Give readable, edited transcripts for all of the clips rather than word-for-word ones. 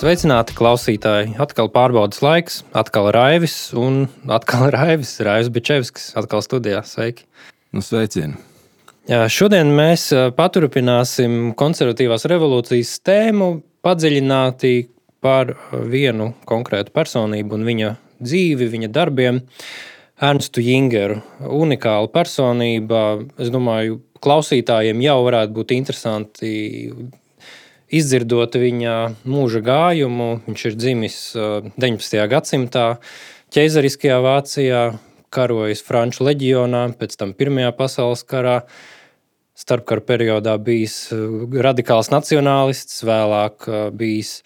Sveicināti klausītāji! Atkal pārbaudas laiks, atkal Raivis un atkal Raivis Bičevskis, atkal studijā. Sveiki! Sveicieni! Jā, šodien mēs paturpināsim konservatīvās revolūcijas tēmu, padziļināti par vienu konkrētu personību un viņa dzīvi, viņa darbiem. Ernstu Jingeru, unikāla personība. Es domāju, klausītājiem jau varētu būt interesanti izdzirdot viņa mūža gājumu. Viņš ir dzimis 19. gadsimtā ķeizariskajā Vācijā, karojis Franču leģionā, pēc tam Pirmajā pasaules karā. Starpkara periodā bijis radikāls nacionālists, vēlāk bijis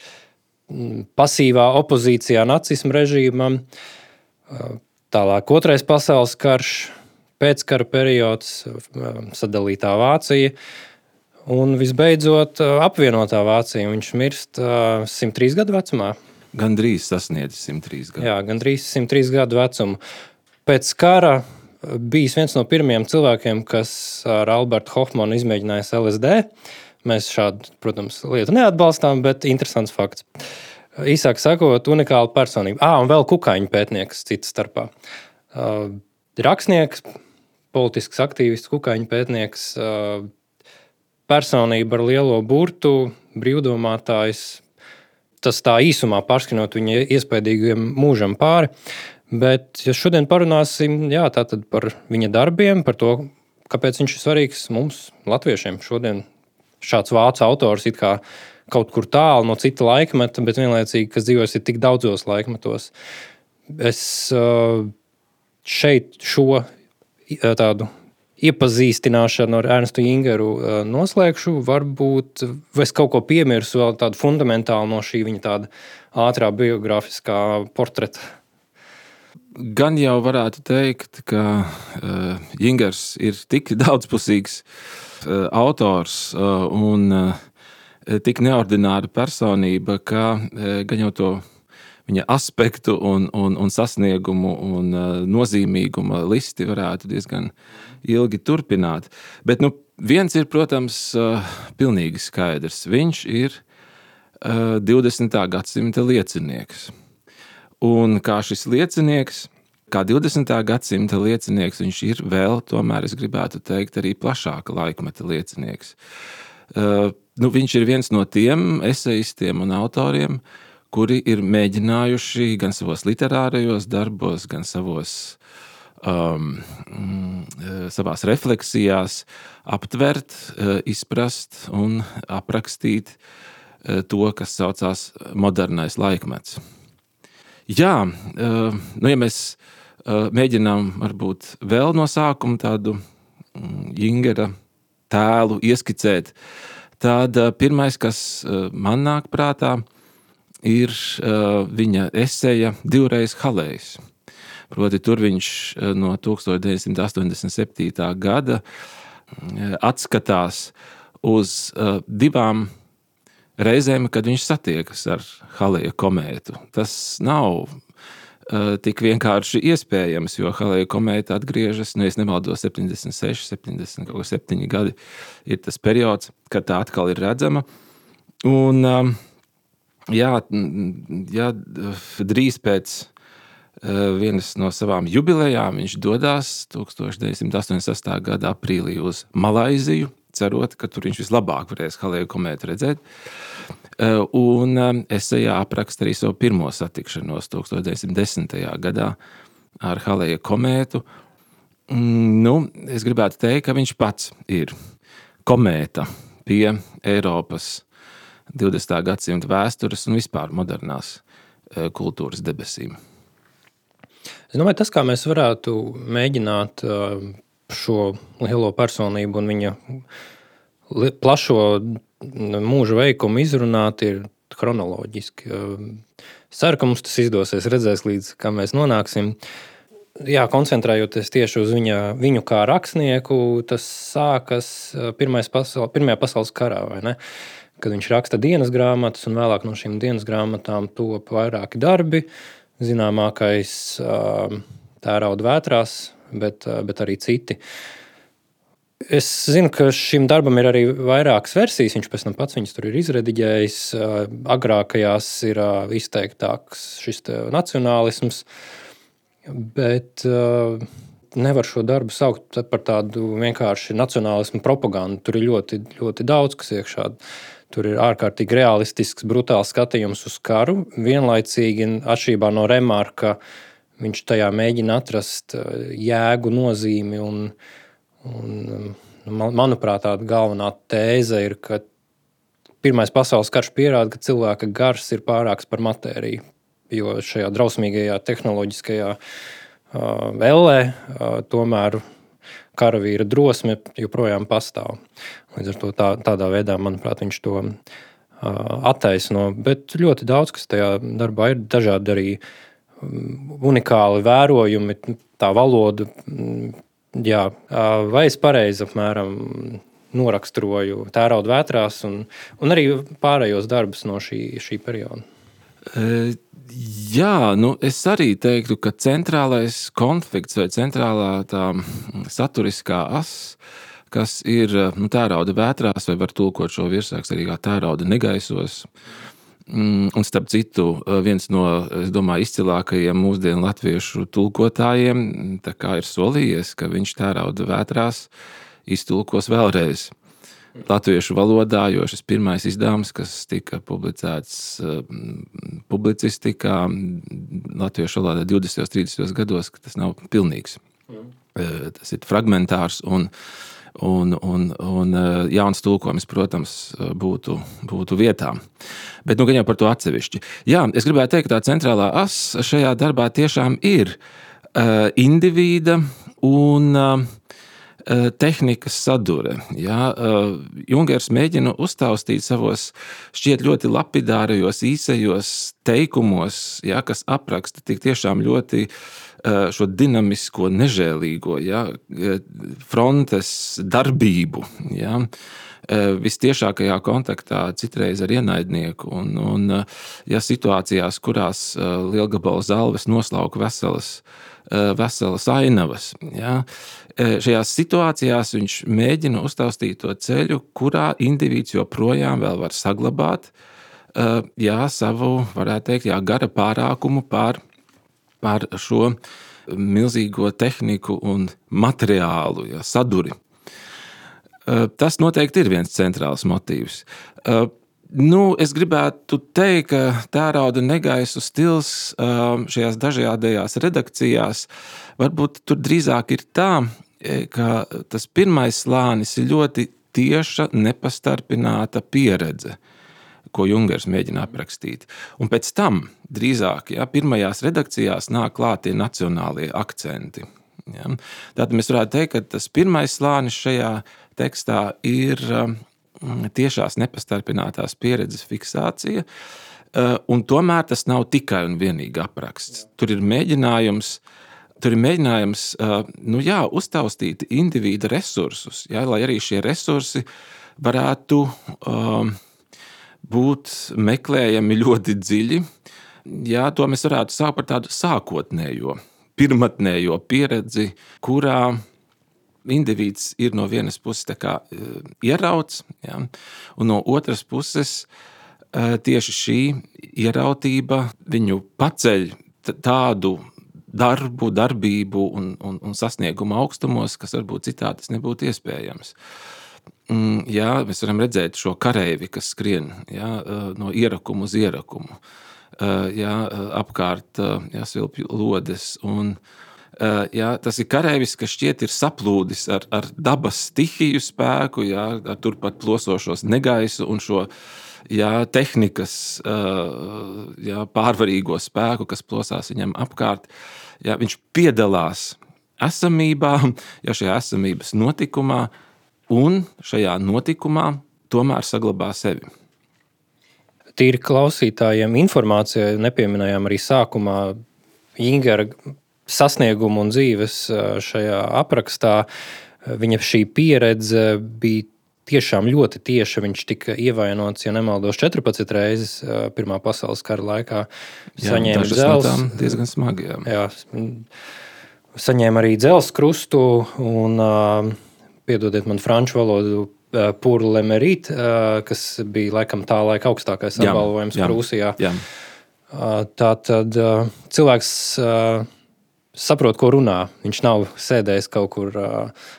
pasīvā opozīcijā nacisma režīmam. Tālāk Otrais pasaules karš, pēckara periods, sadalītā Vācija un visbeidzot apvienotā Vācija. Viņš mirst 103 gadu vecumā. Gandrīz sasniedz 103 gadu. Jā, gandrīz 103 gadu vecumu. Pēc kara bijis viens no pirmajiem cilvēkiem, kas ar Albertu Hofmanu izmēģinājis LSD. Mēs šādu, protams, lietu neatbalstām, bet interesants fakts. Īsāk sakot, unikāla personība. Un vēl kukaiņu pētnieks cita starpā. Rakstnieks, politisks aktīvists, kukaiņu pētnieks, personība ar lielo burtu, brīvdomātājs. Tas tā īsumā pārskinot viņa iespaidīgiem mūžam pāri. Bet ja šodien parunāsim tātad par viņa darbiem, par to, kāpēc viņš ir svarīgs mums, latviešiem. Šodien šāds vācu autors it kā kaut kur tālu no cita laikmeta, bet vienlaicīgi, kas dzīvojas ir tik daudzos laikmetos. Es šeit šo tādu iepazīstināšanu ar Ernstu Jingeru noslēgšu. Varbūt es kaut ko piemirsu vēl tādu fundamentālu no šī viņa tāda ātrā biogrāfiskā portreta. Gan jau varētu teikt, ka Jingers ir tik daudzpusīgs autors un tik neordināra personība, ka gan jau to viņa aspektu un sasniegumu un nozīmīguma listi varētu diezgan ilgi turpināt. Bet viens ir, protams, pilnīgi skaidrs. Viņš ir 20. gadsimta liecinieks. Un kā šis liecinieks, kā 20. gadsimta liecinieks, viņš ir vēl, tomēr es gribētu teikt, arī plašāka laikmeta liecinieks. Viņš ir viens no tiem esejistiem un autoriem, kuri ir mēģinājuši gan savos literārajos darbos, gan savās refleksijās aptvert, izprast un aprakstīt to, kas saucās modernais laikmets. Jā, ja mēs mēģinām varbūt vēl no sākuma tādu Jingera tēlu ieskicēt, tad pirmais, kas man nāk prātā, ir viņa eseja Divreiz Halejs. Proti tur viņš no 1987. gada atskatās uz divām reizēm, kad viņš satiekas ar Haleja komētu. Tas nav tik vienkārši iespējams, jo Haleja komēta atgriežas, es nemaldos, 76, 77 gadi ir tas periods, kad tā atkal ir redzama. Un drīz pēc vienas no savām jubilejām viņš dodās 1988. gada aprīlī uz Malaiziju, cerot, ka tur viņš vislabāk varēs Haleja komētu redzēt. Un esejā apraksta arī savu pirmo satikšanos 1910. gadā ar Haleja komētu. Es gribētu teikt, ka viņš pats ir komēta pie Eiropas 20. gadsimta vēstures un vispār modernās kultūras debesīm. Es domāju, tas, kā mēs varētu mēģināt šo lielo personību un viņa plašo mūža veikumu izrunāt, ir chronoloģiski. Es ceru, ka mums tas izdosies, redzēs līdz kā mēs nonāksim. Koncentrējoties tieši uz viņu kā rakstnieku, tas sākas Pirmajā pasaules karā, vai ne? Kad viņš raksta dienas grāmatas un vēlāk no šīm dienas grāmatām top vairāki darbi. Zināmākais Tērauda vētrās, bet arī citi. Es zinu, ka šim darbam ir arī vairākas versijas. Viņš pēc tam pats viņas tur ir izrediģējis. Agrākajās ir izteiktāks šis nacionālisms, bet nevar šo darbu saukt par tādu vienkārši nacionālismu propagandu. Tur ir ļoti, ļoti daudz, kas iekšā. Tur ir ārkārtīgi realistisks, brutāls skatījums uz karu. Vienlaicīgi, atšķirībā no Remarka, viņš tajā mēģina atrast jēgu, nozīmi un manuprāt, tāda galvenā tēze ir, ka Pirmais pasaules karš pierāda, ka cilvēka gars ir pārāks par matēriju, jo šajā drausmīgajā tehnoloģiskajā ellē tomēr karavīra drosme joprojām pastāv. Līdz ar to tādā veidā, manuprāt, viņš to attaisno. Bet ļoti daudz, kas tajā darbā ir, dažādi arī unikāli vērojumi, tā valoda. Jā, vai es pareizi apmēram noraksturoju Tērauda vētrās un arī pārējos darbus no šī perioda? Jā, es arī teiktu, ka centrālais konflikts vai centrālā tā saturiskā as, kas ir Tērauda vētrās, vai var tulkot šo virsrakstu arī kā Tērauda negaisos. Un starp citu, viens no, es domāju, izcilākajiem mūsdienu latviešu tulkotājiem tā kā ir solījies, ka viņš Tērauda vētrās iztulkos vēlreiz latviešu valodā, jo šis pirmais izdevums, kas tika publicēts publicistikā latviešu valodā 20. un 30. gados, ka tas nav pilnīgs. Tas ir fragmentārs un jauns tulkojums, protams, būtu vietā. Bet gan jau par to atsevišķi. Jā, es gribētu teikt, ka tā centrālā as šajā darbā tiešām ir indivīda un tehnikas sadure. Jā, Jungers mēģina uztaustīt savos šķiet ļoti lapidārajos, īsajos teikumos, jā, kas apraksta tik tiešām ļoti šo dinamisko, nežēlīgo, ja, frontes darbību, ja, vistiešākajā kontaktā citreiz ar ienaidnieku un ja, situācijās, kurās lielgabala zalves noslauka veselas ainavas. Ja. Šajās situācijās viņš mēģina uztaustīt to ceļu, kurā indivīds joprojām vēl var saglabāt savu, varētu teikt, gara pārākumu pār šo milzīgo tehniku un materiālu, saduri. Tas noteikti ir viens centrāls motīvs. Es gribētu teikt, ka Tērauda negaisu stils šajās dažādajās redakcijās varbūt tur drīzāk ir tā, ka tas pirmais slānis ir ļoti tieša, nepastarpināta pieredze, ko Jungers mēģina aprakstīt. Un pēc tam drīzāk, pirmajās redakcijās nāk klāt tie nacionālie akcenti. Ja. Tātad mēs varētu teikt, ka tas pirmais slānis šajā tekstā ir tiešās nepastarpinātās pieredzes fiksācija, un tomēr tas nav tikai un vienīgi apraksts. Tur ir mēģinājums uztaustīt individa resursus, lai arī šie resursi varētu būt meklējami ļoti dziļi. Jā, to mēs varētu saukt par tādu sākotnējo, pirmatnējo pieredzi, kurā indivīds ir no vienas puses tā kā ierauts, ja, un no otras puses tieši šī ierautība viņu paceļ tādu darbību un sasniegumu augstumos, kas varbūt citādi tas nebūtu iespējams. Jā, mēs varam redzēt šo kareivi, kas skrien no ierakumu uz ierakumu. Apkārt svilpju lodes. Un, tas ir kareivis, kas šķiet ir saplūdis ar dabas stihiju spēku, ar turpat plosošos negaisu un šo tehnikas pārvarīgo spēku, kas plosās viņam apkārt. Viņš piedalās esamībā, šajā esamības notikumā, un šajā notikumā tomēr saglabā sevi. Tīri klausītājiem informācijai nepieminējām arī sākumā Jingera sasniegumu un dzīves šajā aprakstā. Viņa šī pieredze bija tiešām ļoti tieša. Viņš tika ievainots, ja nemaldos, 14 reizes Pirmā pasaules kara laikā. Saņēma dzelzs, diezgan smagi. Jā, saņēma arī dzelzs krustu un piedodiet man franču valodu, pour le mérite, kas bija laikam tā laika augstākais apbalvojums Prūsijā. Jā. Tātad cilvēks saprot, ko runā. Viņš nav sēdējis kaut kur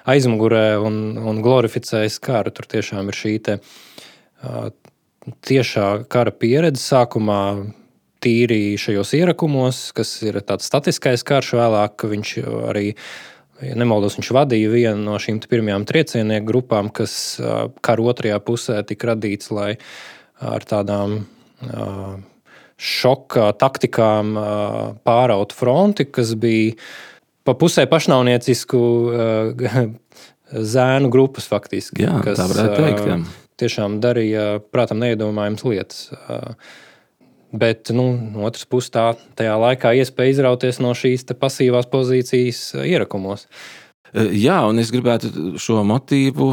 aizmugurē un glorificējis karu. Tur tiešām ir šī tiešā kara pieredze sākumā tīri šajos ierakumos, kas ir tāds statiskais karš vēlāk. Viņš arī, ja nemaldos, viņš vadīja vienu no šīm pirmajām triecienieku grupām, kas kara otrajā pusē tika radīts, lai ar tādām šoka taktikām pāraut fronti, kas bija pa pusē pašnāvniecisku zēnu grupas faktiski. Jā, kas tā varētu teikt, jā. Tiešām darīja, prātam, neiedomājams lietas. Bet, no otras puses, tajā laikā iespēja izrauties no šīs pasīvās pozīcijas ierakumos. Jā, un es gribētu šo motīvu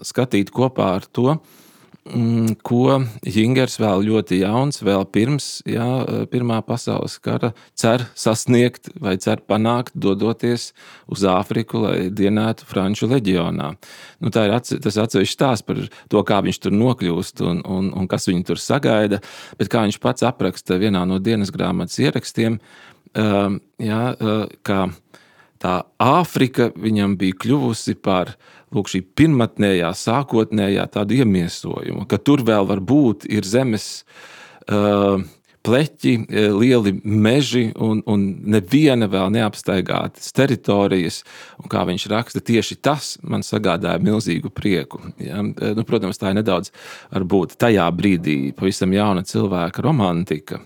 skatīt kopā ar to, ko Jingers vēl ļoti jauns, vēl pirms Pirmā pasaules kara cer sasniegt vai cer panākt, dodoties uz Āfriku, lai dienētu Franču leģionā. Tā ir tas atsevišķs stāsts par to, kā viņš tur nokļūst un kas viņu tur sagaida, bet kā viņš pats apraksta vienā no dienas grāmatas ierakstiem, ka tā Āfrika viņam bija kļuvusi par šī pirmatnējā, sākotnējā tādu iemiesojumu, ka tur vēl var būt ir zemes pleķi, lieli meži un neviena vēl neapstaigātas teritorijas, un kā viņš raksta, tieši tas man sagādāja milzīgu prieku. Ja? Protams, tā ir nedaudz varbūt tajā brīdī pavisam jauna cilvēka romantika,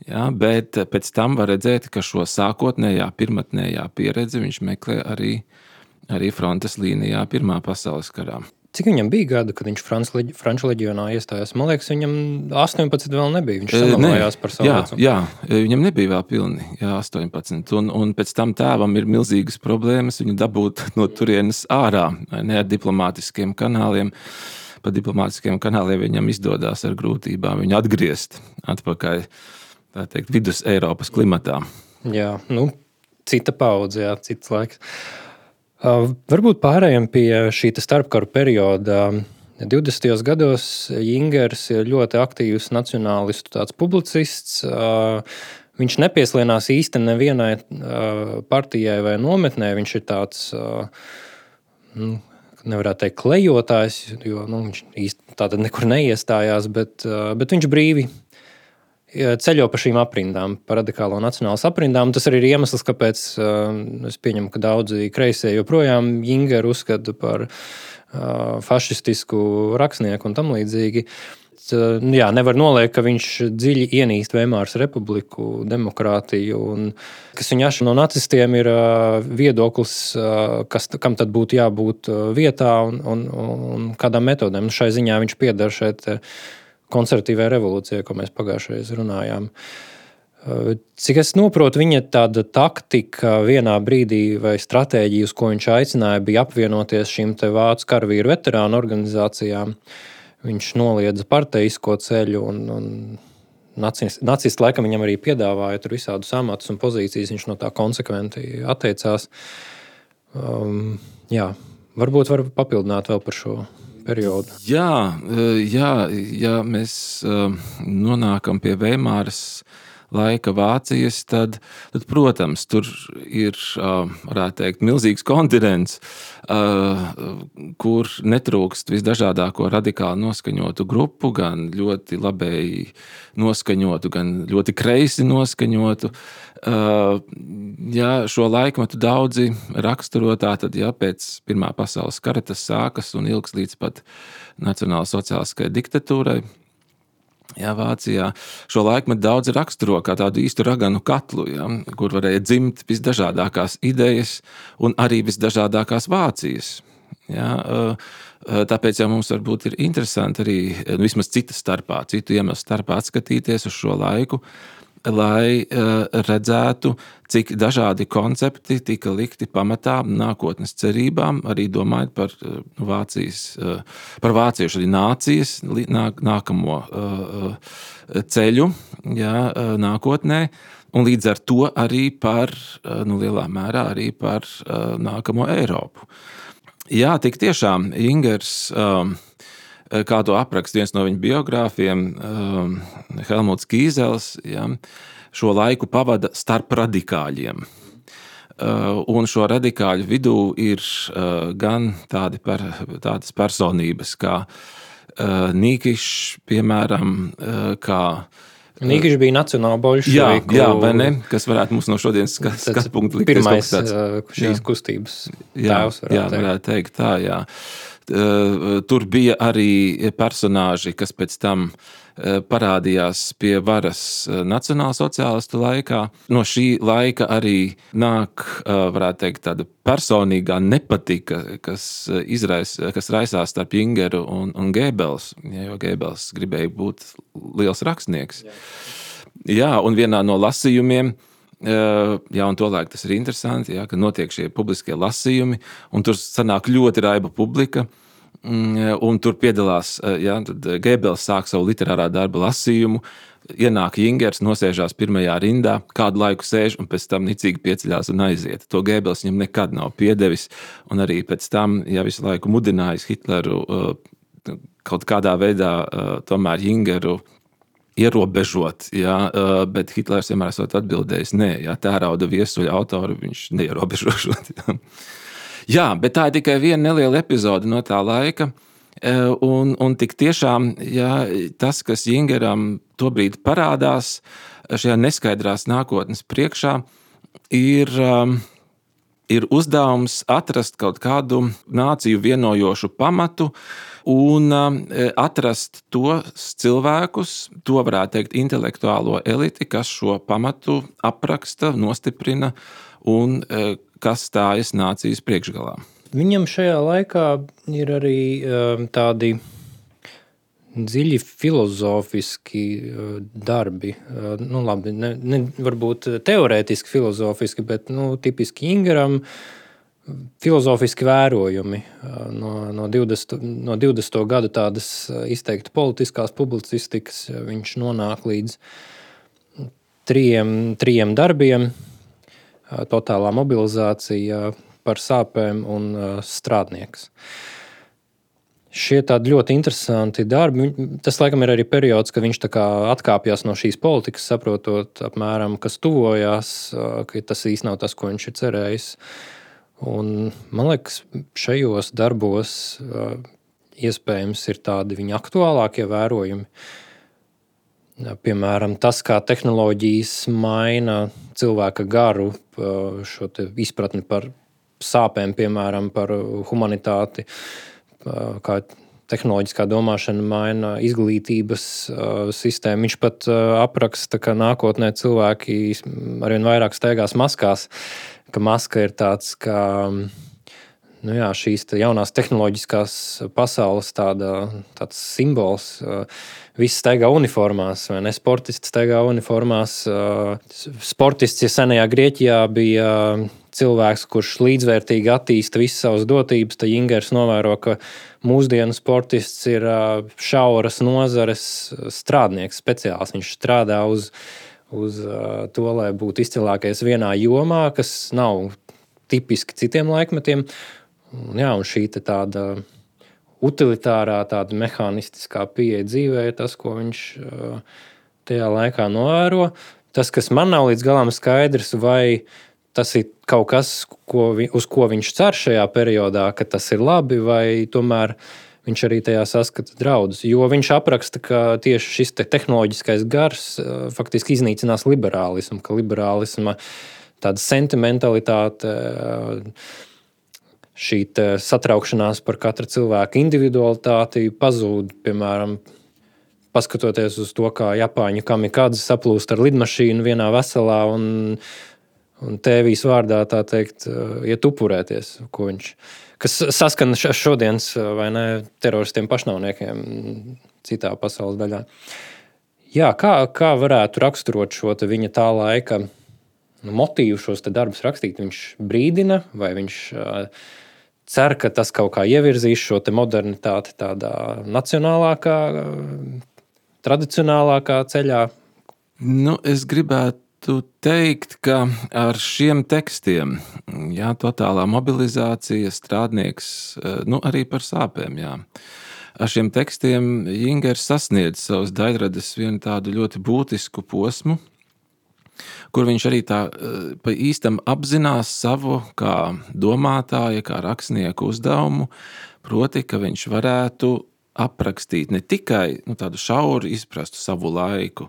ja? Bet pēc tam var redzēt, ka šo sākotnējā, pirmatnējā pieredzi viņš meklē arī frontes līnijā Pirmā pasaules karā. Cik viņam bija gada, kad viņš Franču leģionā iestājās? Man liekas, viņam 18 vēl nebija. Viņš samalājās par savu vecumu. Jā, viņam nebija vēl pilni 18. Un pēc tam tēvam ir milzīgas problēmas viņu dabūt no turienes ārā, ne ar diplomātiskiem kanāliem. Pa diplomātiskiem kanāliem viņam izdodās ar grūtībām viņu atgriezt atpakaļ, tā teikt, vidus Eiropas klimatā. Jā, cita paudze, cits laiks. Varbūt pārējām pie šī starpkaru perioda. 20. gados Jingers ir ļoti aktīvs nacionālistu tāds publicists. Viņš nepieslēnās īsti nevienai partijai vai nometnē. Viņš ir tāds, nevarētu teikt, klejotājs, jo viņš īsti tātad nekur neiestājās, bet viņš brīvi ceļo pa šīm aprindām, pa radikālo nacionālas aprindām. Tas arī ir iemesls, kāpēc es pieņemu, ka daudzi kreisie joprojām Jingeru uzskata par fašistisku rakstnieku un tam līdzīgi. Jā, nevar noliekt, ka viņš dziļi ienīst Veimāras republiku, demokrātiju, un kas viņa atšķir no nacistiem ir viedoklis, kam tad būtu jābūt vietā un kādām metodēm. Šai ziņā viņš pieder šeit konservatīvai revolūcijai, ko mēs pagājušajā runājām. Cik es noprotu, viņa tāda taktika vienā brīdī vai stratēģija, uz ko viņš aicināja, bija apvienoties šīm vācu karavīru veterānu organizācijām. Viņš noliedza parteisko ceļu un nacisti laikam viņam arī piedāvāja tur visādus amatus un pozīcijas. Viņš no tā konsekventi atteicās. Jā, varbūt var papildināt vēl par šo periodu. Ja mēs nonākam pie Veimāras laika Vācijas, tad, protams, tur ir, varētu teikt, milzīgs kontinents, kur netrūkst visdažādāko radikāli noskaņotu grupu, gan ļoti labēji noskaņotu, gan ļoti kreisi noskaņotu. Šo laikmetu daudzi raksturo tātad, pēc Pirmā pasaules kara tas sākas un ilgs līdz pat nacionālsociālistiskai diktatūrai. Vācijā šo laikmetu daudzi raksturo kā tādu īstu raganu katlu, kur varēja dzimt visdažādākās idejas un arī visdažādākās Vācijas. Tāpēc jau mums varbūt ir interesanti arī vismaz citu iemeslu starpā atskatīties uz šo laiku, lai redzētu, cik dažādi koncepti tika likti pamatā nākotnes cerībām, arī domājot par vāciešu arī nācijas nākamo ceļu nākotnē, un līdz ar to arī par, lielā mērā arī par nākamo Eiropu. Jā, tik tiešām Ingers, kā to apraksta viens no viņa biogrāfiem, Helmuts Kīzels, šo laiku pavada starp radikāļiem. Un šo radikāļu vidū ir gan tādas personības kā Nīkišs, piemēram, kā Nīkišs bija nacionāla bolševiku. Jā, vai ne? Kas varētu mums no šodienas skatu punktu likt. Pirmais šīs kustības tēvs, varētu teikt tā, jā. Tur bija arī personāži, kas pēc tam parādījās pie varas nacionālsociālistu laikā. No šī laika arī nāk, varētu teikt, tāda personīgā nepatika, kas raisās starp Ingeru un Gēbels, jo Gēbels gribēja būt liels rakstnieks. Jā, un vienā no lasījumiem, un tolaik tas ir interesanti, ka notiek šie publiskie lasījumi, un tur sanāk ļoti raiba publika, un tur piedalās, tad Gēbels sāk savu literārā darba lasījumu, ienāk Ingers, nosēžās pirmajā rindā, kādu laiku sēž, un pēc tam nicīgi pieceļās un aiziet. To Gēbels viņam nekad nav piedevis, un arī pēc tam, visu laiku mudinājis Hitleru kaut kādā veidā tomēr Ingeru ierobežot, bet Hitlers vienmēr esot atbildējis, nē, tērauda viesuļa autoru viņš neierobežošot. Jā, bet tā ir tikai viena neliela epizode no tā laika, un tik tiešām, tas, kas Ingeram tobrīd parādās šajā neskaidrās nākotnes priekšā, ir uzdevums atrast kaut kādu nāciju vienojošu pamatu un atrast tos cilvēkus, to varētu teikt intelektuālo eliti, kas šo pamatu apraksta, nostiprina un kas stājas nācijas priekšgalā. Viņam šajā laikā ir arī tādi dziļi filozofiski darbi. Labi, ne varbūt teorētiski filozofiski, bet tipiski Ingeram filozofiski vērojumi no 20. gadu tādas izteikti politiskās publicistikas. Viņš nonāk līdz trijiem darbiem. Totālā mobilizācija, par sāpēm un strādnieks. Šie tādi ļoti interesanti darbi. Tas laikam ir arī periods, kad viņš tā kā atkāpjas no šīs politikas, saprotot apmēram, kas tuvojās, ka tas īsti nav tas, ko viņš ir cerējis. Un man liekas, šajos darbos iespējams ir tādi viņa aktuālākie vērojumi. Piemēram, tas, kā tehnoloģijas maina cilvēka garu, šo te izpratni par sāpēm, piemēram, par humanitāti, kā tehnoloģiskā domāšana maina izglītības sistēmu. Viņš pat apraksta, ka nākotnē cilvēki arvien vairāk staigās maskās, ka maska ir tāds, ka šīs jaunās tehnoloģiskās pasaules tāds simbols. Visi staigā uniformās, vai ne? Sportisti staigā uniformās. Sportists, senajā Grieķijā bija cilvēks, kurš līdzvērtīgi attīsta visas savas dotības, tad Ingers novēro, ka mūsdienu sportists ir šauras nozares strādnieks, speciāls. Viņš strādā uz to, lai būtu izcilākais vienā jomā, kas nav tipiski citiem laikmetiem. Un šī tāda utilitārā, tāda mehānistiskā pieeja dzīvē ir tas, ko viņš tajā laikā novēro. Tas, kas man nav līdz galam skaidrs, vai tas ir kaut kas, uz ko viņš cer šajā periodā, ka tas ir labi, vai tomēr viņš arī tajā saskata draudus. Jo viņš apraksta, ka tieši šis tehnoloģiskais gars faktiski iznīcinās liberālismu, ka liberālisma tāda sentimentalitāte, šī satraukšanās par katra cilvēka individualitāti pazūd, piemēram, paskatoties uz to, kā Japāņu kamikādze saplūst ar lidmašīnu vienā veselā un tēvijas vārdā, tā teikt, iet upurēties, kas saskan šodienas, vai ne, teroristiem pašnāvniekiem citā pasaules daļā. Jā, kā varētu raksturot šo viņa tā laika motīvu šos darbus rakstīt? Viņš brīdina, vai viņš cer, ka tas kaut kā ievirzīs šo modernitāti tādā nacionālākā, tradicionālākā ceļā? Es gribētu varētu teikt, ka ar šiem tekstiem, totālā mobilizācija, strādnieks, arī par sāpēm, ar šiem tekstiem Jingers sasniedz savas daļradas vienu tādu ļoti būtisku posmu, kur viņš arī tā pa īstam apzinās savu kā domātāja, kā rakstnieku uzdevumu, proti, ka viņš varētu aprakstīt ne tikai tādu šauri izprastu savu laiku,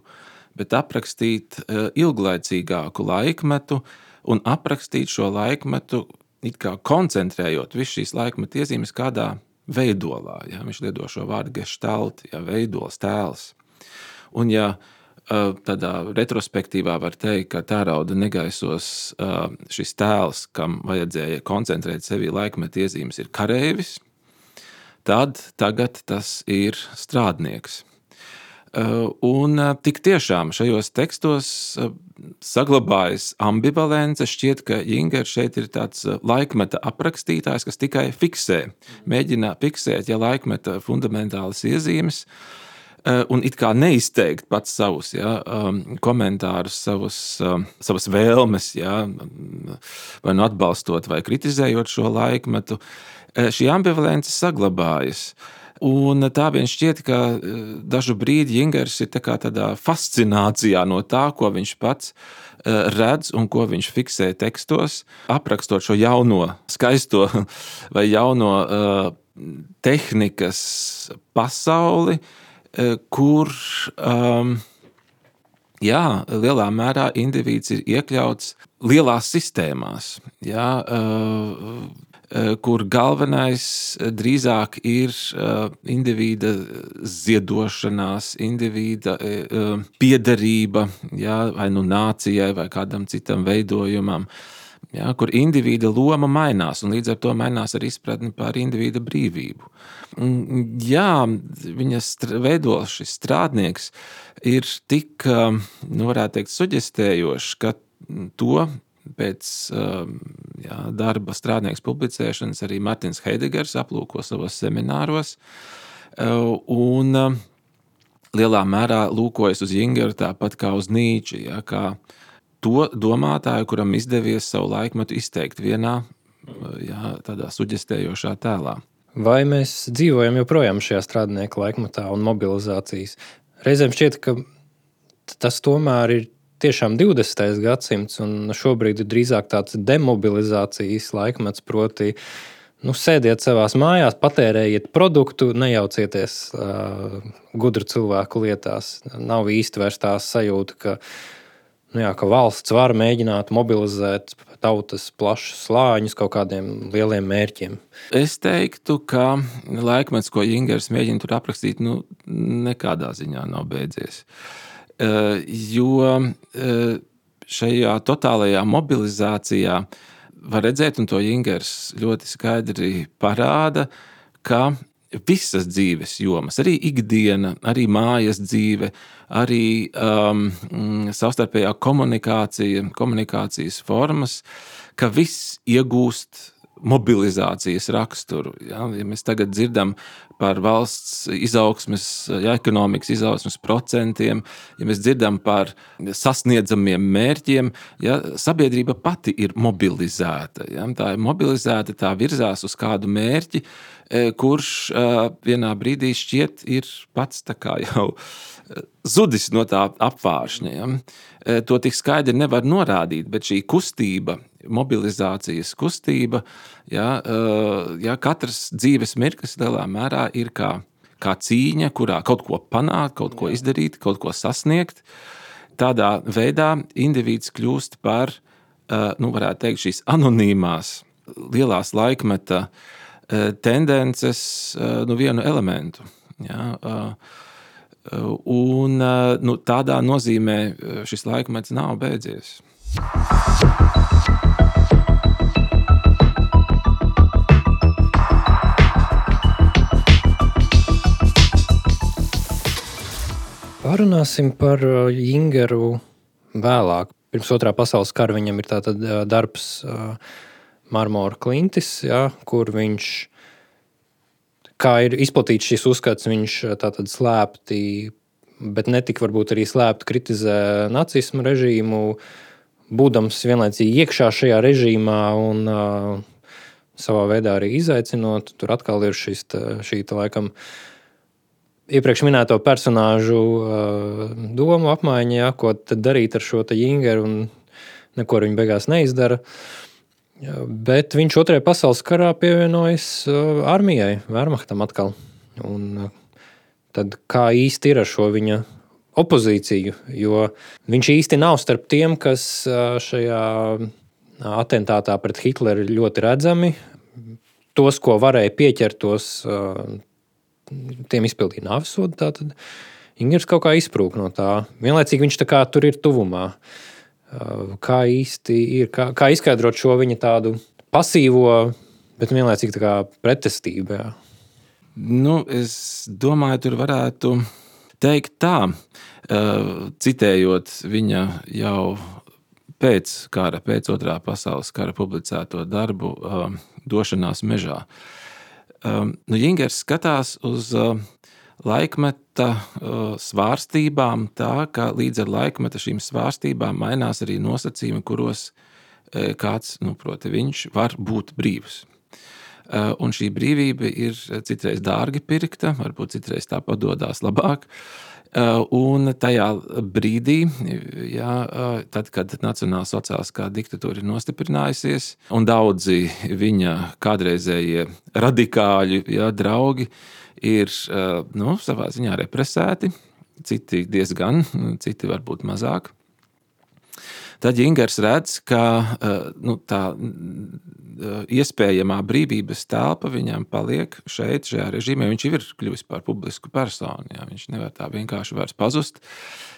bet aprakstīt ilglaicīgāku laikmetu un aprakstīt šo laikmetu, it kā koncentrējot visu šīs laikmeta iezīmes kādā veidolā. Viņš lieto šo vārdu gestalt, veidols, tēls. Un tādā retrospektīvā var teikt, ka tērauda negaisos šis tēls, kam vajadzēja koncentrēt sevī laikmeta iezīmes, ir kareivis, tad tagad tas ir strādnieks. Un tik tiešām šajos tekstos saglabājas ambivalence. Šķiet, ka Jingers šeit ir tāds laikmeta aprakstītājs, kas tikai mēģina fiksēt laikmeta fundamentālas iezīmes, un it kā neizteikt pats savus komentārus, savas vēlmes, vai atbalstot vai kritizējot šo laikmetu. Šī ambivalence saglabājas. Un tā vien šķiet, ka dažu brīdi Jingers ir tādā fascinācijā no tā, ko viņš pats redz un ko viņš fiksē tekstos, aprakstot šo jauno, skaisto vai jauno tehnikas pasauli, kur lielā mērā indivīds ir iekļauts lielās sistēmās, kur galvenais drīzāk ir individa ziedošanās, individa piederība, vai nācijai vai kādam citam veidojumam, kur individa loma mainās, un līdz ar to mainās arī izpratne par individa brīvību. Viņa veidols, šis strādnieks, ir tik, varētu teikt, suģestējošs, ka to pēc darba strādnieks publicēšanas arī Martins Heidegers aplūko savos semināros, un lielā mērā lūkojas uz Jingeru tāpat kā uz Nīču, kā to domātāju, kuram izdevies savu laikmetu izteikt vienā tādā suģestējošā tēlā. Vai mēs dzīvojam joprojām šajā strādnieka laikmetā un mobilizācijas? Reizēm šķiet, ka tas tomēr ir tiešām 20. gadsimts, un šobrīd ir drīzāk tāds demobilizācijas laikmets, proti, sēdiet savās mājās, patērējiet produktu, nejaucieties gudru cilvēku lietās. Nav īsti vairs tā sajūta, ka valsts var mēģināt mobilizēt tautas plašus slāņus kaut kādiem lieliem mērķiem. Es teiktu, ka laikmets, ko Jingers mēģina tur aprakstīt, nekādā ziņā nav beidzies. Jo šajā totālajā mobilizācijā var redzēt, un to Jingers ļoti skaidri parāda, ka visas dzīves jomas, arī ikdiena, arī mājas dzīve, arī savstarpējā komunikācija, komunikācijas formas, ka viss iegūst mobilizācijas raksturu. Ja mēs tagad dzirdam par valsts izaugsmes, ekonomikas izaugsmes procentiem, ja mēs dzirdam par sasniedzamiem mērķiem, sabiedrība pati ir mobilizēta. Tā ir mobilizēta, tā virzās uz kādu mērķi, kurš vienā brīdī šķiet ir pats tā kā jau zudis no tā apvāršņa. To tik skaidri nevar norādīt, bet šī kustība, mobilizācijas kustība, katrs dzīves mirklis lielā mērā ir kā cīņa, kurā kaut ko panākt, kaut ko izdarīt, kaut ko sasniegt. Tādā veidā indivīds kļūst par, varētu teikt, šīs anonīmās lielās laikmeta tendences vienu elementu. Un tādā nozīmē šis laikmets nav beidzies. Parunāsim par Jingeru vēlāk. Pirms Otrā pasaules kara viņam ir tātad darbs Marmora klintis, kur viņš, kā ir izplatīts šis uzskats, viņš tātad slēpti bet netik varbūt arī slēpti kritizē nacismu režīmu, būdams vienlaicīgi iekšā šajā režīmā un savā veidā arī izaicinot. Tur atkal ir šī laikam iepriekš minēto personāžu domu apmaiņa, ja, ko tad darīt ar šo Jingeru, un neko viņa beigās neizdara. Bet viņš Otrajā pasaules karā pievienojas armijai, Wehrmachtam atkal. Un tad kā īsti ir ar šo viņa opozīciju, jo viņš īsti nav starp tiem, kas šajā atentātā pret Hitleru ir ļoti redzami. Tos, ko varēja pieķert, tiem izpildīja nāvessodu. Tātad Ingers kaut kā izprūk no tā. Vienlaicīgi viņš tā kā tur ir tuvumā. Kā īsti ir, kā izskaidrot šo viņa tādu pasīvo, bet vienlaicīgi tā kā pretestību. Jā. Nu, es domāju, tur varētu teikt tā, citējot viņa jau pēc Otrā pasaules kara publicēto darbu Došanās mežā. Jingers skatās uz laikmeta svārstībām tā, ka līdz ar laikmeta šīm svārstībām mainās arī nosacījumi, kuros kāds, proti viņš, var būt brīvs. Un šī brīvība ir citreiz dārgi pirkta, varbūt citreiz tā padodās labāk. Un tajā brīdī, tad, kad nacionālsociālistiskā diktatūra ir nostiprinājusies, un daudzi viņa kādreizējie radikāļi, draugi ir savā ziņā represēti, citi diezgan, citi varbūt mazāk. Tad Jingers redz, ka tā iespējamā brīvības telpa viņam paliek šajā režīmē. Viņš ir kļuvis par publisku personu. Viņš nevar tā vienkārši vairs pazust.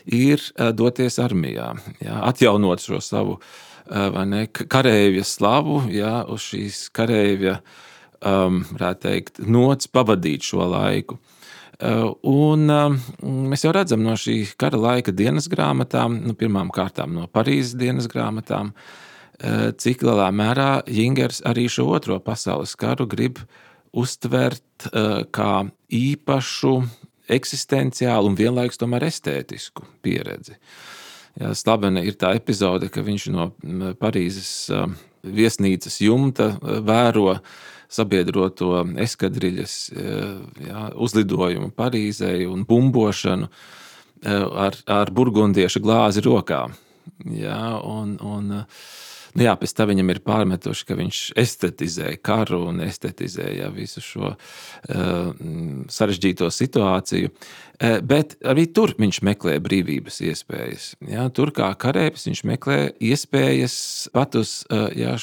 Ir doties armijā, atjaunot šo savu kareivja slavu, uz šīs kareivja, varētu teikt, nots pavadīt šo laiku. Un mēs jau redzam no šī kara laika dienas grāmatām, pirmām kārtām no Parīzes dienas grāmatām, cik lielā mērā Jingers arī šo Otro pasaules karu grib uztvert kā īpašu, eksistenciālu un vienlaikus tomēr estētisku pieredzi. Slavena ir tā epizode, ka viņš no Parīzes viesnīcas jumta vēro sabiedroto eskadriļas uzlidojumu Parīzei un bumbošanu ar burgundieša glāzi rokā. Pēc tā viņam ir pārmetuši, ka viņš estetizē karu un estetizē visu šo sarežģīto situāciju. Bet arī tur viņš meklē brīvības iespējas. Tur kā kareivs viņš meklē iespējas pat uz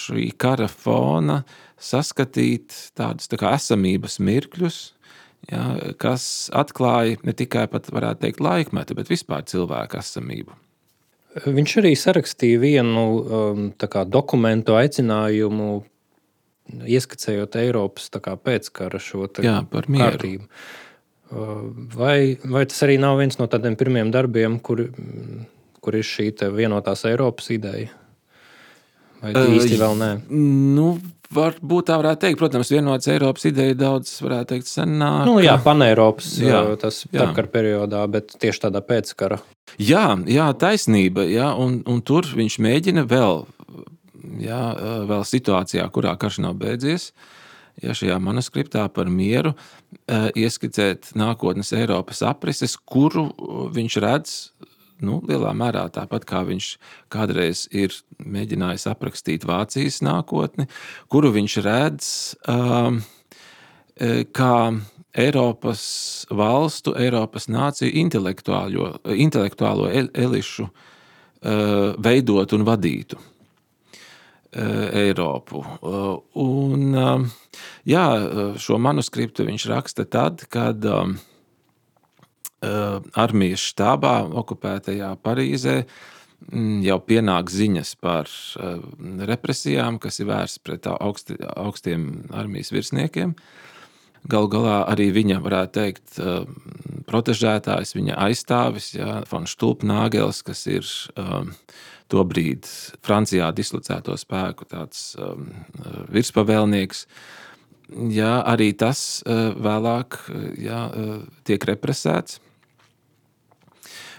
šī kara fona saskatīt tādus tā kā esamības mirkļus, kas atklāja ne tikai pat, varētu teikt, laikmetu, bet vispār cilvēku esamību. Viņš arī sarakstīja vienu dokumentu aicinājumu, ieskicējot Eiropas pēckara šo kārtību. Vai tas arī nav viens no tādiem pirmiem darbiem, kur ir šī vienotās Eiropas ideja? Vai īsti vēl nē? Varbūt tā varētu teikt. Protams, vienotas Eiropas ideja daudz, varētu teikt, senāk. Paneiropas, tas starpkara periodā, bet tieši tādā pēckara. Jā, taisnība, un tur viņš mēģina vēl situācijā, kurā karš nav beidzies, šajā manuskriptā par mieru, ieskicēt nākotnes Eiropas aprises, kuru viņš redz lielā mērā tāpat, kā viņš kādreiz ir mēģinājis aprakstīt Vācijas nākotni, kuru viņš redz kā Eiropas valstu, Eiropas nāciju intelektuālo elišu veidot un vadītu Eiropu. Un šo manuskriptu viņš raksta tad, kad armijas štābā okupētajā Parīzē jau pienāk ziņas par represijām, kas ir vērstas pret augstiem armijas virsniekiem. Galu galā arī viņa, varētu teikt, protežētājs, viņa aizstāvis, von Stulpnagels, kas ir tobrīd Francijā dislocēto spēku tāds virspavēlnieks. Arī tas vēlāk tiek represēts.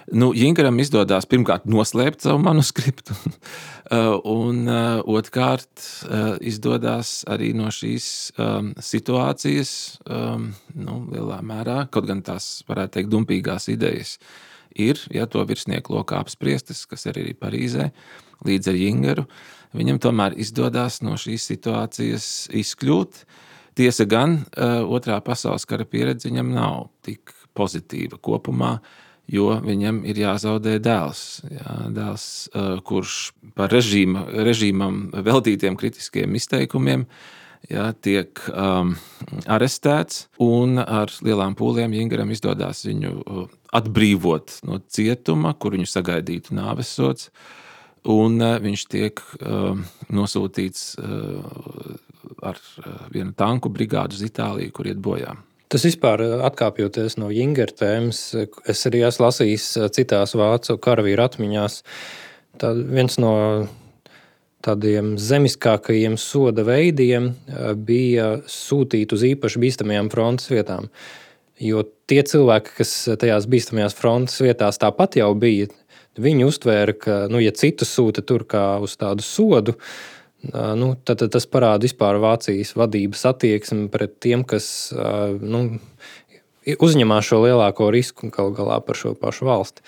Jingaram izdodās pirmkārt noslēpt savu manuskriptu, un otrkārt izdodās arī no šīs situācijas, lielā mērā, kaut gan tās, varētu teikt, dumpīgās idejas ir, to virsnieku lokā apspriestas, kas arī Parīzē, līdz ar Jingaru, viņam tomēr izdodās no šīs situācijas izkļūt. Tiesa gan, otrā pasaules kara pieredze viņam nav tik pozitīva kopumā, jo viņam ir jāzaudē dēls, kurš par režīmam veltītiem kritiskiem izteikumiem tiek arestēts, un ar lielām pūlēm Jingaram izdodās viņu atbrīvot no cietuma, kur viņu sagaidītu nāvessods, un viņš tiek nosūtīts ar vienu tanku brigādu uz Itāliju, kur iet bojā. Tas vispār, atkāpjoties no Jingara tēmas, es arī esmu lasījis citās vācu karavīru atmiņās. Viens no tādiem zemiskākajiem soda veidiem bija sūtīt uz īpaši bīstamajām frontes vietām. Jo tie cilvēki, kas tajās bīstamajās frontes vietās tāpat jau bija, viņi uztvēra, ka, ja citus sūta tur kā uz tādu sodu, tad tas parāda vispār Vācijas vadības attieksmi pret tiem, kas uzņemās šo lielāko risku galu galā par šo pašu valsti.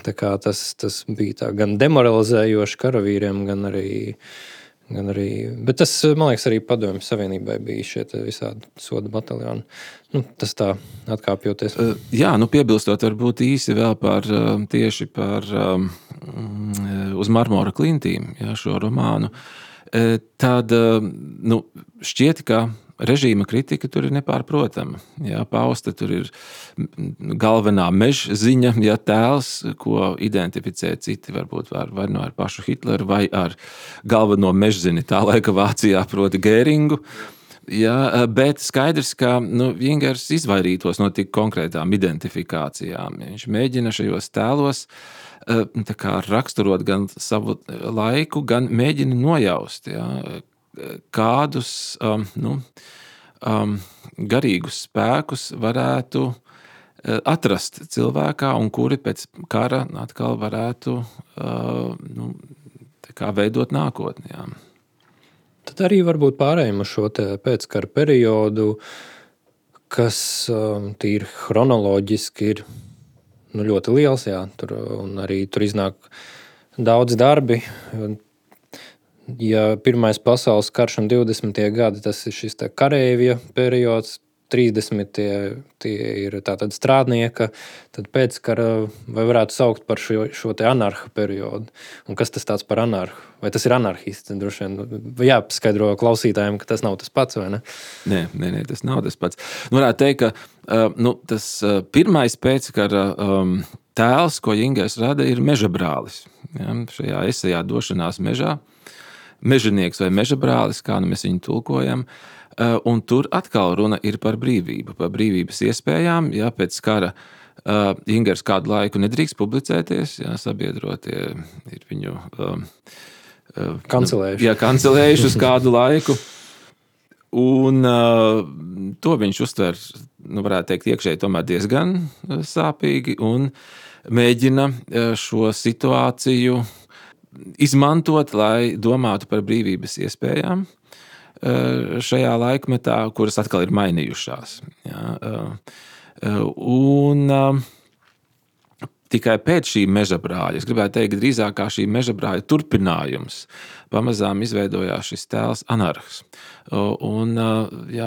Tā kā tas bija tā gan demoralizējoši karavīriem, gan arī, bet tas, man liekas, arī Padomju Savienībai bija šie visādi soda bataljoni. Tas tā atkāpjoties. Piebilstot varbūt īsi vēl tieši par uz marmora klintīm, šo romānu, tad šķiet, ka režīma kritika tur ir nepārprotama. Pausta tur ir galvenā mežziņa, tēls, ko identificē citi, varbūt vai ar pašu Hitleru, vai ar galveno mežzini tā laika Vācijā, proti Gēringu. Bet skaidrs, ka Jingars izvairītos no tik konkrētām identifikācijām. Viņš mēģina šajos tēlos raksturot gan savu laiku, gan mēģina nojaust, kādus garīgus spēkus varētu atrast cilvēkā, un kuri pēc kara atkal varētu veidot nākotni. Tad arī varbūt pārējiem uz šo pēckara periodu, kas tīri chronoloģiski ir ļoti liels, un arī tur iznāk daudz darbi. Ja Pirmais pasaules karš un 20. gadi, tas ir šis kareivja periods, 30. tie ir tātad strādnieka, tad pēckara vai varētu saukt par šo anarha periodu. Un kas tas tāds par anarhu? Vai tas ir anarhists? Droši vien jāpaskaidro klausītājiem, ka tas nav tas pats, vai ne? Nē, tas nav tas pats. Varētu teikt, ka tas pirmais pēckara tēls, ko Jingers rada, ir mežabrālis. Šajā esejā Došanās mežā. Mežanieks vai mežabrālis, kā mēs viņu tulkojam. Un tur atkal runa ir par brīvību, par brīvības iespējām. Pēc kara Jingers kādu laiku nedrīkst publicēties, sabiedrotie ir viņu kancelējuši uz kādu laiku. Un to viņš uztver, varētu teikt, iekšēji tomēr diezgan sāpīgi un mēģina šo situāciju izmantot, lai domātu par brīvības iespējām šajā laikmetā, kuras atkal ir mainījušās. Un tikai pēc šī mežabrāļa, es gribētu teikt, drīzāk kā šī mežabrāļa turpinājums, pamazām izveidojās šis tēls anarhs. Un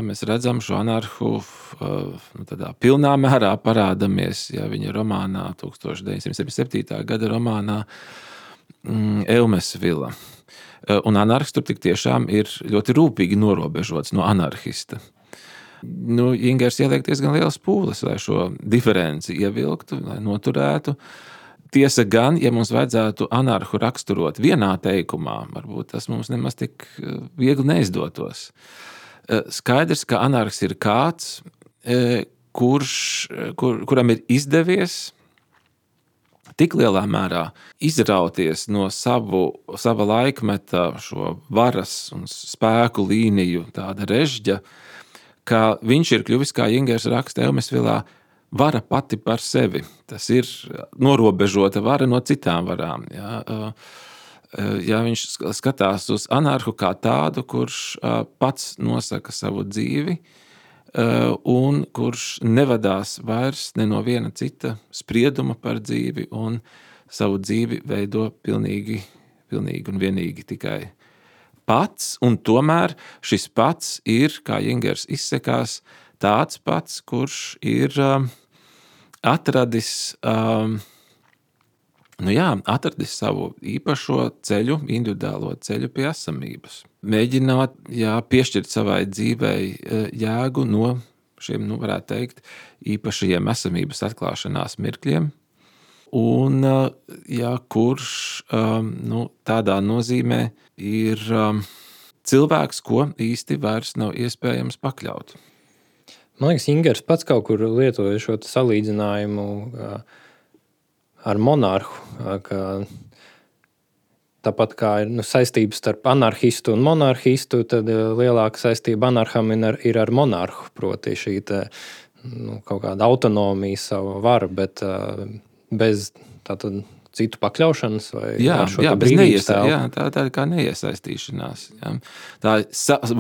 mēs redzam šo anarhu tādā pilnā mērā parādamies, viņa romānā 1977. gada romānā Eumes vila. Un anarhists tur tik tiešām ir ļoti rūpīgi norobežots no anarhista. Jingers ieliek diezgan lielas pūles, lai šo diferenci ievilktu, lai noturētu. Tiesa gan, ja mums vajadzētu anarhu raksturot vienā teikumā, varbūt tas mums nemaz tik viegli neizdotos. Skaidrs, ka anarhs ir kāds, kuram ir izdevies tik lielā mērā izrauties no sava laikmeta šo varas un spēku līniju tāda režģa, ka viņš ir kļuvis, kā Jingers raksta Eumesvilā, vara pati par sevi. Tas ir norobežota vara no citām varām. Ja viņš skatās uz anarhu kā tādu, kurš pats nosaka savu dzīvi un kurš nevadās vairs ne no viena cita sprieduma par dzīvi un savu dzīvi veido pilnīgi un vienīgi tikai pats, un tomēr šis pats ir, kā Jingers izsekās, tāds pats, kurš ir atradis savu īpašo ceļu, individuālo ceļu pie esamības. Mēģināt piešķirt savai dzīvei jēgu no šiem, varētu teikt, īpašajiem esamības atklāšanās mirkļiem, un kurš tādā nozīmē ir cilvēks, ko īsti vairs nav iespējams pakļaut. Man liekas, Jingers pats kaut kur lietoja šo salīdzinājumu ar monarhu, ka tāpat kā ir saistības starp anarhistu un monarhistu, tad lielāka saistība anarham ir ar monarhu, proti šī kaut kāda autonomija, savu varu, bet bez tātad citu pakļaušanas vai ar šo brīvības tēlu. Tā ir kā neiesaistīšanās. Jā. Tā ir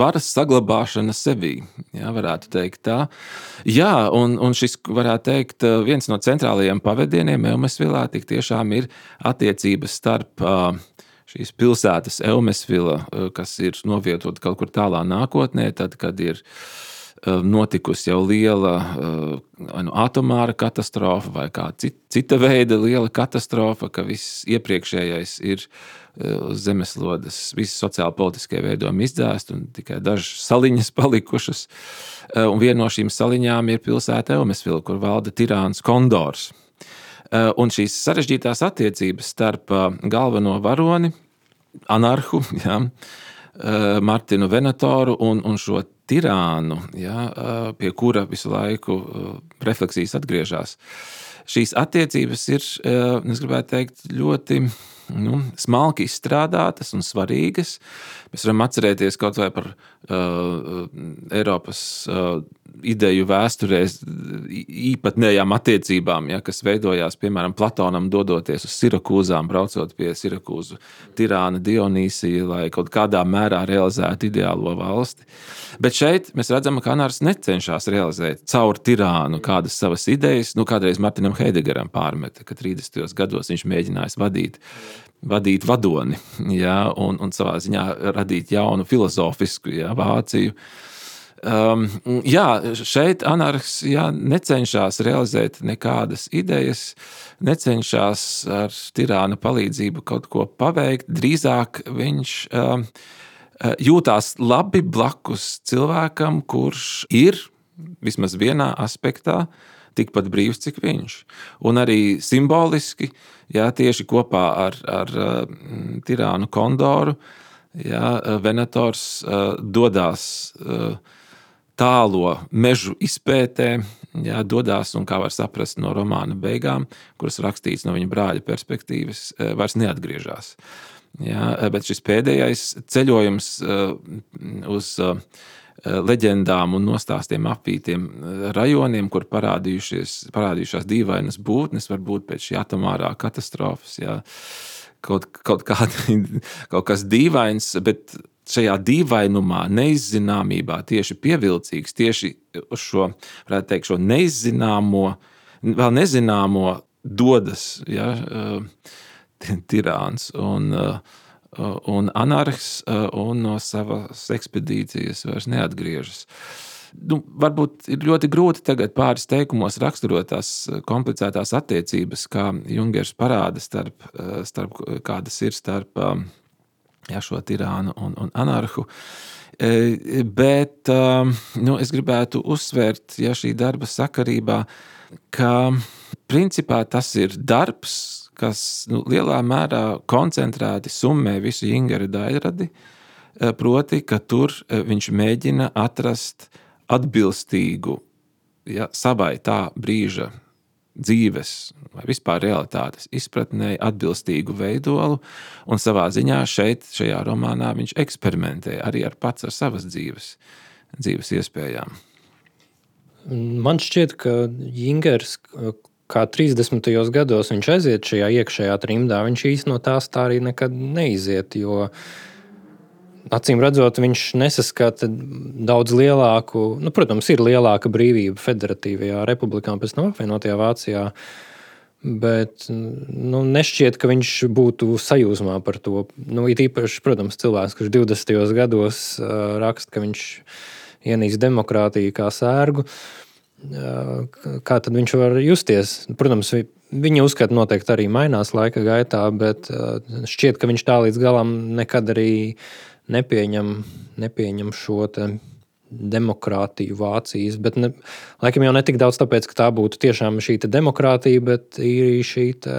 varas saglabāšana sevī, varētu teikt tā. Jā, un šis, varētu teikt, viens no centrālajiem pavadieniem Eumesvilā tik tiešām ir attiecības starp šīs pilsētas Eumesvila, kas ir novietota kaut kur tālā nākotnē, tad, kad ir notikusi jau liela atomāra katastrofa vai kā cita veida liela katastrofa, ka viss iepriekšējais ir uz zemeslodes, visi sociāli-politiskie veidojumi izdzēst un tikai dažas saliņas palikušas. Un viena no šīm saliņām ir pilsēta Eumesvila, kur valda tirāns Kondors. Un šīs sarežģītās attiecības starp galveno varoni, anarhu, Martinu Venatoru un šo tirānu, pie kura visu laiku refleksijas atgriežas. Šīs attiecības ir, es gribētu teikt, ļoti smalki izstrādātas un svarīgas. Mēs varam atcerēties kaut vai par Eiropas ideju vēsturēs īpatnējām attiecībām, kas veidojās, piemēram, Platonam dodoties uz Sirakūzām, braucot pie Sirakūzu tirāna Dionīsija, lai kaut kādā mērā realizētu ideālo valsti. Bet šeit mēs redzam, ka anārs necenšas realizēt caur tirānu kādas savas idejas. Kādreiz Martinam Heidegaram pārmeta, ka 30. gados viņš mēģinājis vadīt vadoni, un savā ziņā radīt jaunu filozofisku Vāciju. Šeit anarhs necenšas realizēt nekādas idejas, necenšas ar tirāna palīdzību kaut ko paveikt. Drīzāk viņš jūtās labi blakus cilvēkam, kurš ir vismaz vienā aspektā tikpat brīvs, cik viņš. Un arī simboliski, tieši kopā ar tirānu Kondoru, Venators dodās tālo mežu izpētē, dodās, un kā var saprast no romāna beigām, kuras rakstīts no viņa brāļa perspektīvas, vairs neatgriežas. Bet šis pēdējais ceļojums uz leģendām un nostāstiem apvītiem rajoniem, kur parādījušās dīvainas būtnes, varbūt pēc šī atomārā katastrofas, kaut kas dīvains, bet šajā dīvainumā, neizzināmībā tieši pievilcīgs, tieši uz šo, varētu teikt, šo neizzināmo, vēl nezināmo dodas, tirāns un anarhs, un no savas ekspedīcijas vairs neatgriežas. Varbūt ir ļoti grūti tagad pāris teikumos raksturot tās komplicētās attiecības, kā Jungers parāda starp kādas ir starp šo tirānu un anarhu. Bet es gribētu uzsvērt, šī darba sakarībā, ka principā tas ir darbs, kas lielā mērā koncentrēti summē visu Jingera daļradi, proti, ka tur viņš mēģina atrast atbilstīgu savai tā brīža dzīves vai vispār realitātes izpratnē atbilstīgu veidolu, un savā ziņā šajā romānā viņš eksperimentē arī ar savas dzīves iespējām. Man šķiet, ka Jingers, kā 30. gados viņš aiziet šajā iekšējā trimdā, viņš īsti no tās tā arī nekad neiziet, jo acīm redzot, viņš nesaskata daudz lielāku, protams, ir lielāka brīvība Federatīvajā republikā un pēc tam apvienotajā Vācijā, bet nešķiet, ka viņš būtu sajūsmā par to. It īpaši, protams, cilvēks, kurš 20. gados raksta, ka viņš ienīst demokrātiju kā sērgu, kā tad viņš var justies? Protams, viņa uzskata noteikti arī mainās laika gaitā, bet šķiet, ka viņš tā līdz galam nekad arī nepieņem šo te demokrātiju Vācijas, bet laikam jau netik daudz tāpēc, ka tā būtu tiešām šī te demokrātija, bet ir šī te,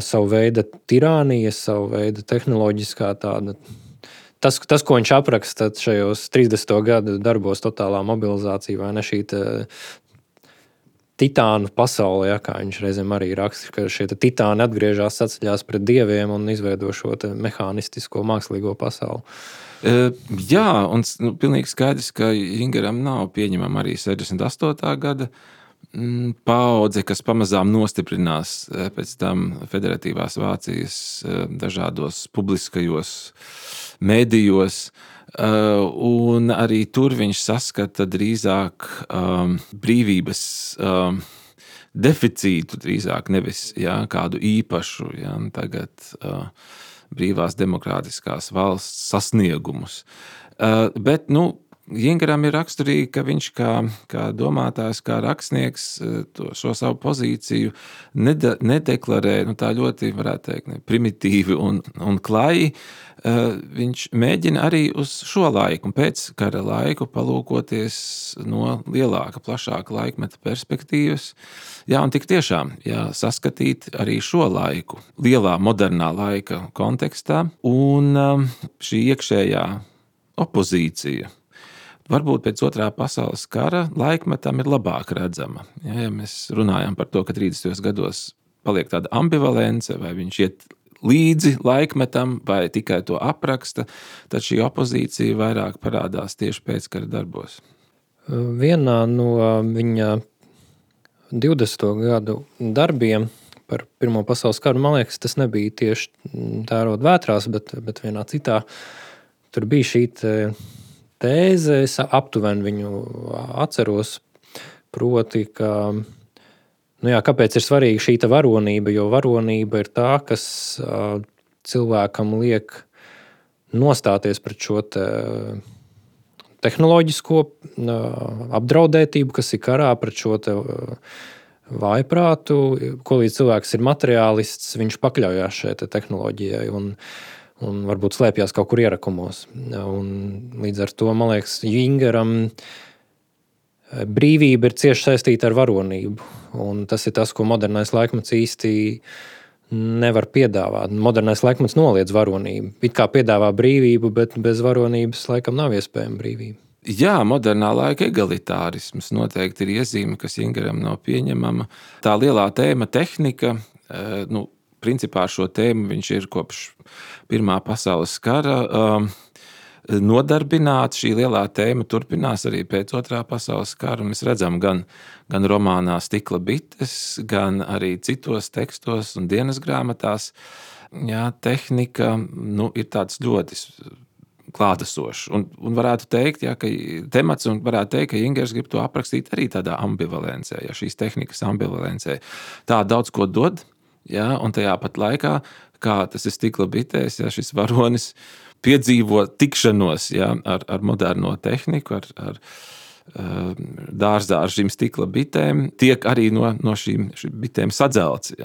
savu veidu tirānija, savu veidu tehnoloģiskā tāda. Tas, ko viņš apraksta šajos 30. gadu darbos totālā mobilizācija, vai ne šī titānu pasaulē, kā viņš reizēm arī raksta, ka šie titāni atgriežas, saceļās pret dieviem un izveido šo mehānistisko mākslīgo pasauli. Jā, un pilnīgi skaidrs, ka Jingeram nav pieņemama arī 68. gada paudze, kas pamazām nostiprinās pēc tam Federatīvās Vācijas dažādos publiskajos mēdījos, un arī tur viņš saskata drīzāk brīvības deficītu, drīzāk nevis kādu īpašu, tagad brīvās demokrātiskās valsts sasniegumus. Bet, Jingeram ir raksturīgi, ka viņš kā domātājs, kā rakstnieks šo savu pozīciju nedeklarē, tā ļoti, varētu teikt, primitīvi un klaji. Viņš mēģina arī uz šo laiku un pēc kara laiku palūkoties no lielāka, plašāka laikmeta perspektīvas. Un tik tiešām saskatīt arī šo laiku lielā modernā laika kontekstā, un šī iekšējā opozīcija varbūt pēc Otrā pasaules kara laikmetam ir labāk redzama. Ja mēs runājam par to, ka 30. gados paliek tāda ambivalence, vai viņš iet līdzi laikmetam, vai tikai to apraksta, tad šī opozīcija vairāk parādās tieši pēckara darbos. Vienā no viņa 20. gadu darbiem par Pirmo pasaules karu, man liekas, tas nebija tieši tērot vētrās, bet vienā citā tur bija šī tēze, es aptuveni viņu atceros, proti, ka kāpēc ir svarīga šī varonība, jo varonība ir tā, kas cilvēkam liek nostāties pret šo tehnoloģisko apdraudētību, kas ir karā, pret šo vājprātu, ko līdz cilvēks ir materiālists, viņš pakļaujās šai tehnoloģijai un varbūt slēpjās kaut kur ierakumos. Un līdz ar to, man liekas, Jingeram brīvība ir cieši saistīta ar varonību. Un tas ir tas, ko modernais laikmets īsti nevar piedāvāt. Modernais laikmets noliedz varonību. It kā piedāvā brīvību, bet bez varonības laikam nav iespējama brīvība. Jā, modernā laika egalitārisms noteikti ir iezīme, kas Jingeram nav pieņemama. Tā lielā tēma tehnika, principā šo tēmu viņš ir kopš Pirmā pasaules kara nodarbināts. Šī lielā tēma turpinās arī pēc Otrā pasaules kara. Mēs redzam gan romānā Stikla bites, gan arī citos tekstos un dienas grāmatās. Tehnika ir tāds ļoti klātesošs. Un varētu teikt, ka temats, un varētu teikt, ka Jingers grib to aprakstīt arī tādā ambivalencē, šīs tehnikas ambivalencē. Tā daudz ko dod, un tajā pat laikā, kā tas ir Stikla bitēs, šis varonis piedzīvo tikšanos ar moderno tehniku, ar dārzā ar šīm stikla bitēm, tiek arī no šīm bitēm sadzelts.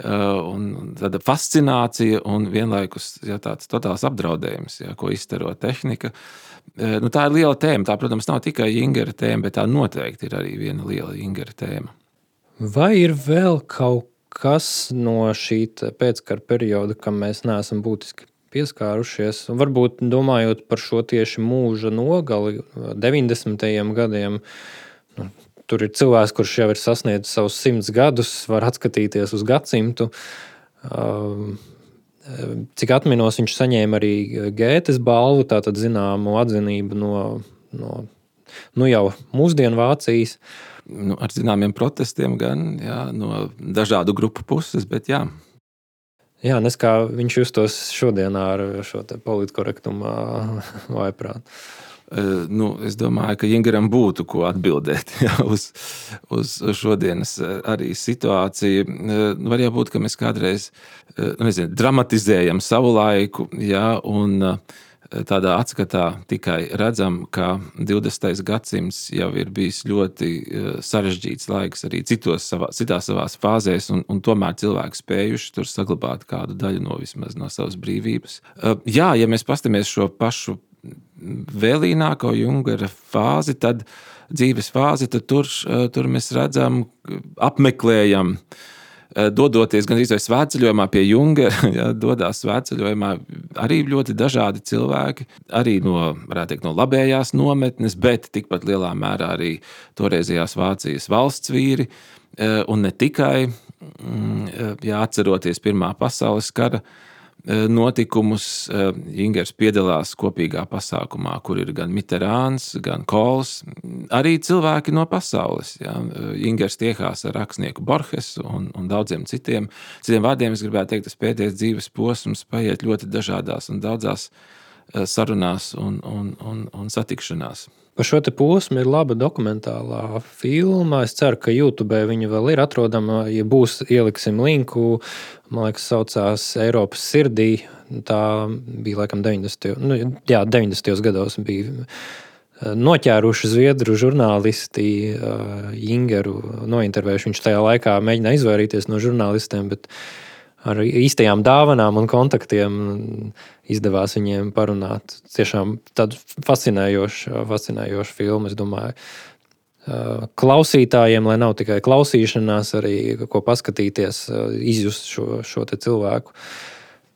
Un tāda fascinācija un vienlaikus tāds totāls apdraudējums, ko izstaro tehnika. Tā ir liela tēma. Tā, protams, nav tikai Jingera tēma, bet tā noteikti ir arī viena liela Jingera tēma. Vai ir vēl kaut kas no šī pēckara perioda, kam mēs neesam būtiski pieskārušies? Varbūt domājot par šo tieši mūža nogali 90. gadiem, tur ir cilvēks, kurš jau ir sasniedzis savus 100 gadus, var atskatīties uz gadsimtu. Cik atminos, viņš saņēma arī Gētes balvu, tātad zināmu atzinību no jau mūsdienu Vācijas. Ar zināmiem protestiem gan, jā, no dažādu grupu puses, bet jā. Jā, nes kā viņš justos šodienā ar šo te politkorektumā vaiprāt. Es domāju, ka Jingeram būtu ko atbildēt uz šodienas arī situāciju. Var jau būt, ka mēs kādreiz dramatizējam savu laiku, jā, un tādā atskatā tikai redzam, ka 20. gadsimts jau ir bijis ļoti sarežģīts laiks arī citās savās fāzēs, un tomēr cilvēki spējuši tur saglabāt kādu daļu vismaz no savas brīvības. Jā, ja mēs pastamies šo pašu vēlīnāko Jungera fāzi, tad dzīves fāzi, tad tur mēs redzam, apmeklējam, dodoties gan arī svētceļojumā pie Jungera, ja, dodās svētceļojumā arī ļoti dažādi cilvēki, arī varētu teikt, no labējās nometnes, bet tikpat lielā mērā arī toreizējās Vācijas valsts vīri, un ne tikai, ja atceroties Pirmā pasaules kara notikumus, Jingers piedalās kopīgā pasākumā, kur ir gan Mitterāns, gan Kohls, arī cilvēki no pasaules. Ja. Jingers tiekās ar rakstnieku Borgesu un daudziem citiem. Citiem vārdiem es gribētu teikt, tas pēdējais dzīves posms paiet ļoti dažādās un daudzās sarunās un satikšanās. Par šo te posmu ir laba dokumentālā filma. Es ceru, ka YouTube viņa vēl ir atrodama. Ja būs, ieliksim linku. Man liekas, saucās Eiropas sirdī. Tā bija laikam 90. gados bija noķēruši zviedru žurnālisti Jingeru nointervējuši. Viņš tajā laikā mēģināja izvairīties no žurnālistiem, bet ar īstajām dāvanām un kontaktiem izdevās viņiem parunāt. Tiešām tādu fascinējošu filmu, es domāju, klausītājiem, lai nav tikai klausīšanās, arī ko paskatīties, izjust šo te cilvēku,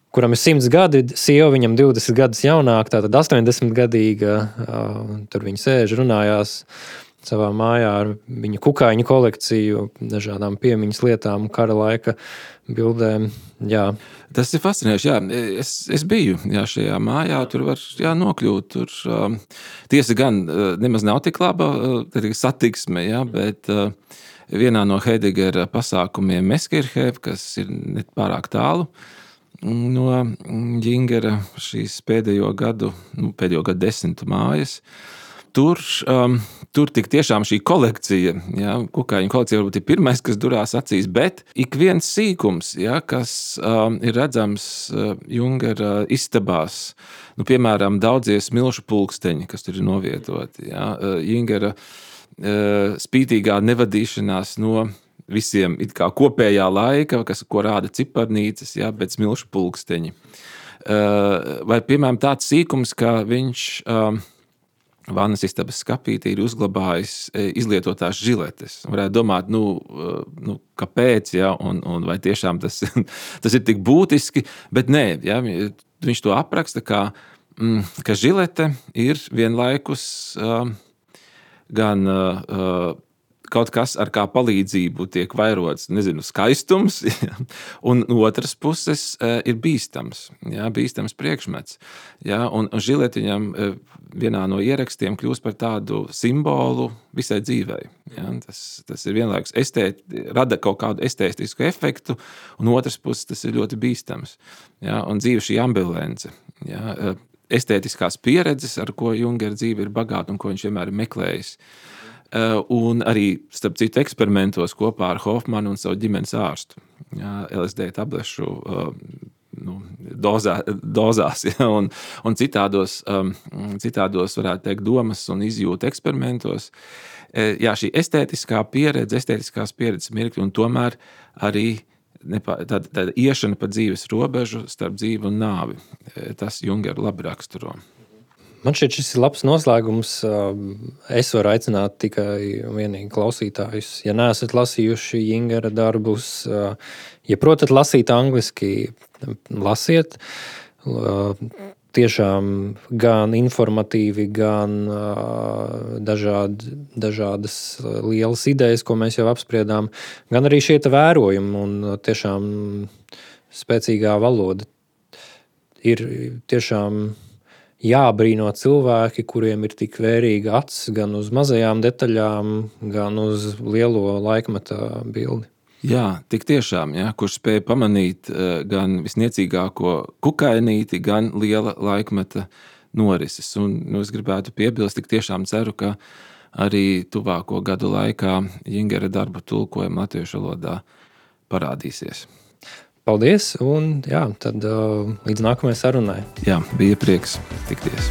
kuram ir 100 gadi, sieva viņam 20 gadus jaunāk, tātad 80-gadīga, tur viņi sēž, runājās savā mājā ar viņa kukaiņu kolekciju, dažādām piemiņas lietām, kara laika bildēm. Jā. Tas ir fascinējoši. Jā. Es biju šajā mājā, tur var nokļūt. Tur, tiesa gan nemaz nav tik laba satiksme, jā, bet vienā no Heidegera pasākumiem Meskirhē, kas ir ne pārāk tālu no Jingera šīs pēdējo gadu desmitu mājas, Tur tik tiešām šī kolekcija, ja, kukaiņu kolekcija varbūt ir pirmais, kas durās acīs, bet ik viens sīkums, ja, kas ir redzams Jungera istabās, piemēram, daudzie smilšu pulksteņi, kas tur ir novietoti, ja, Jungera spītīgā nevadīšanās no visiem it kā kopējā laika, ko rāda ciparnīcas, ja, bet smilšu pulksteņi. Vai, piemēram, tāds sīkums, ka viņš vannas istabas skapītī ir uzglabājis izlietotās žiletes. Varētu domāt, kāpēc, ja, un vai tiešām tas ir tik būtiski, bet nē, ja, viņš to apraksta, ka žilete ir vienlaikus gan kaut kas, ar kā palīdzību tiek vairots, skaistums, ja, un otras puses ir bīstams priekšmets. Ja, un žilete viņam vienā no ierakstiem kļūst par tādu simbolu visai dzīvei. Ja, tas ir vienlaikus rada kaut kādu estētisku efektu, un otras puses tas ir ļoti bīstams. Ja, un dzīve šī ambivalence. Ja, estētiskās pieredzes, ar ko Jungera dzīve ir bagāta un ko viņš vienmēr ir meklējis. Un arī, starp citu, eksperimentos kopā ar Hofmanu un savu ģimenes ārstu. Ja, LSD tablešu dozās, ja, un citādos, varētu teikt, domas un izjūta eksperimentos. Jā, šī estētiskās pieredzes mirkļi, un tomēr arī tāda iešana pa dzīves robežu starp dzīvi un nāvi. Tas Jungeru labi raksturo. Man šķiet, šis ir labs noslēgums. Es varu aicināt tikai vienīgi klausītājus. Ja neesat lasījuši Jingera darbus, ja protat lasīt angliski, lasiet. Tiešām gan informatīvi, gan dažādas lielas idejas, ko mēs jau apspriedām, gan arī šie vērojumi un tiešām spēcīgā valoda ir tiešām jābrīno cilvēki, kuriem ir tik vērīga acs gan uz mazajām detaļām, gan uz lielo laikmeta bildi. Jā, tik tiešām, ja, kurš spēja pamanīt gan visniecīgāko kukainīti, gan liela laikmeta norises. Un es gribētu piebilst, tik tiešām ceru, ka arī tuvāko gadu laikā Jingera darba tulkojumi latviešu valodā parādīsies. Paldies, un jā, tad līdz nākamajai sarunai. Jā, bija prieks tikties.